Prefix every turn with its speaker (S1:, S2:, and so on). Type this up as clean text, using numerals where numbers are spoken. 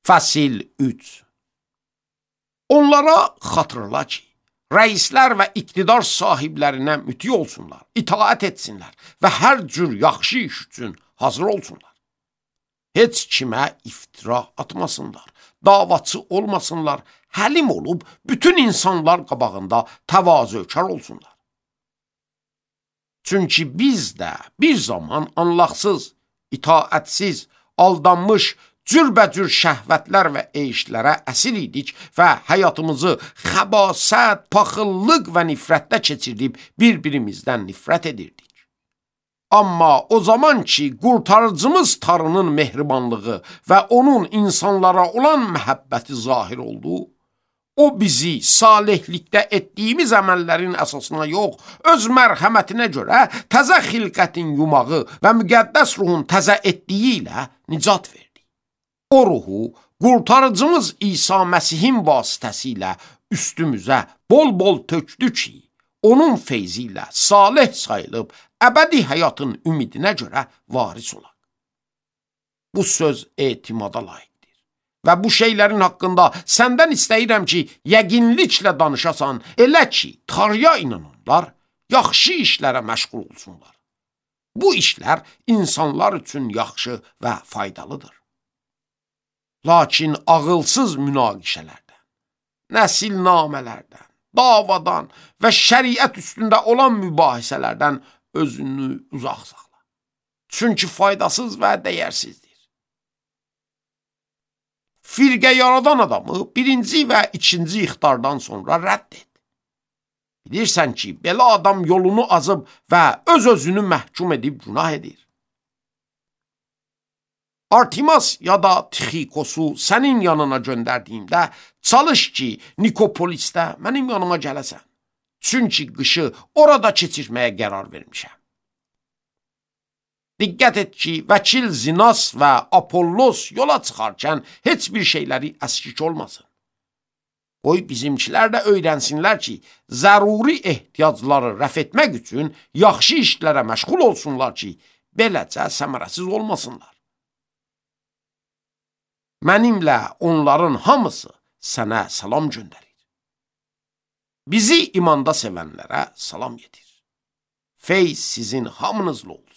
S1: Fəsil 3. Onlara xatırla ki, rəislər və iqtidar sahiblərinə müti olsunlar, itaət etsinlər və hər cür yaxşı iş üçün hazır olsunlar. Heç kimə iftira atmasınlar, davaçı olmasınlar, həlim olub bütün insanlar qabağında təvazökar olsunlar. Çünki biz də bir zaman anlaqsız, itaətsiz, aldanmış, cürbəcür şəhvətlər və eyişlərə əsir idik və həyatımızı xəbasət, paxıllıq və nifrətdə keçirib bir-birimizdən nifrət edirdik. Amma o zaman ki, qurtarıcımız Tanrının mehribanlığı və onun insanlara olan məhəbbəti zahir oldu, o bizi salihlikdə etdiyimiz əməllərin əsasına yox, öz mərhəmətinə görə təzə xilqətin yumağı və müqəddəs ruhun təzə etdiyi ilə nicat verdi. O ruhu qurtarıcımız İsa Məsihin vasitəsilə üstümüzə bol-bol tökdü ki, onun feyzi ilə salih sayılıb əbədi həyatın ümidinə görə varis olaq. Bu söz etimada layiqdir və bu şeylərin haqqında səndən istəyirəm ki, yəqinliklə danışasan, elə ki, Tanrıya inananlar yaxşı işlərə məşğul olsunlar. Bu işlər insanlar üçün yaxşı və faydalıdır. Lakin ağılsız münaqişələrdən, nəsilnamələrdən, davadan və şəriət üstündə olan mübahisələrdən özünü uzaq saxla. Çünki faydasız və dəyərsizdir. Firqə yaradan adamı birinci və ikinci ixtardan sonra rədd et. Bilirsən ki, belə adam yolunu azıb və öz-özünü məhkum edib günah edir. Artimas ya da Tixikosu sənin yanına göndərdiyimdə, çalış ki, Nikopolisdə mənim yanıma gələsən. Çünki qışı orada keçirməyə qərar vermişəm. Diqqət et ki, vəkil Zinas və Apollos yola çıxarkən heç bir şeyləri əskik olmasın. Qoy bizimkilər də öyrənsinlər ki, zəruri ehtiyacları rəf etmək üçün yaxşı işlərə məşğul olsunlar ki, beləcə səmərəsiz olmasınlar. Mənimlə onların hamısı sənə salam göndərir. Bizi imanda sevənlərə salam yetir. Feyz sizin hamınızla olsun.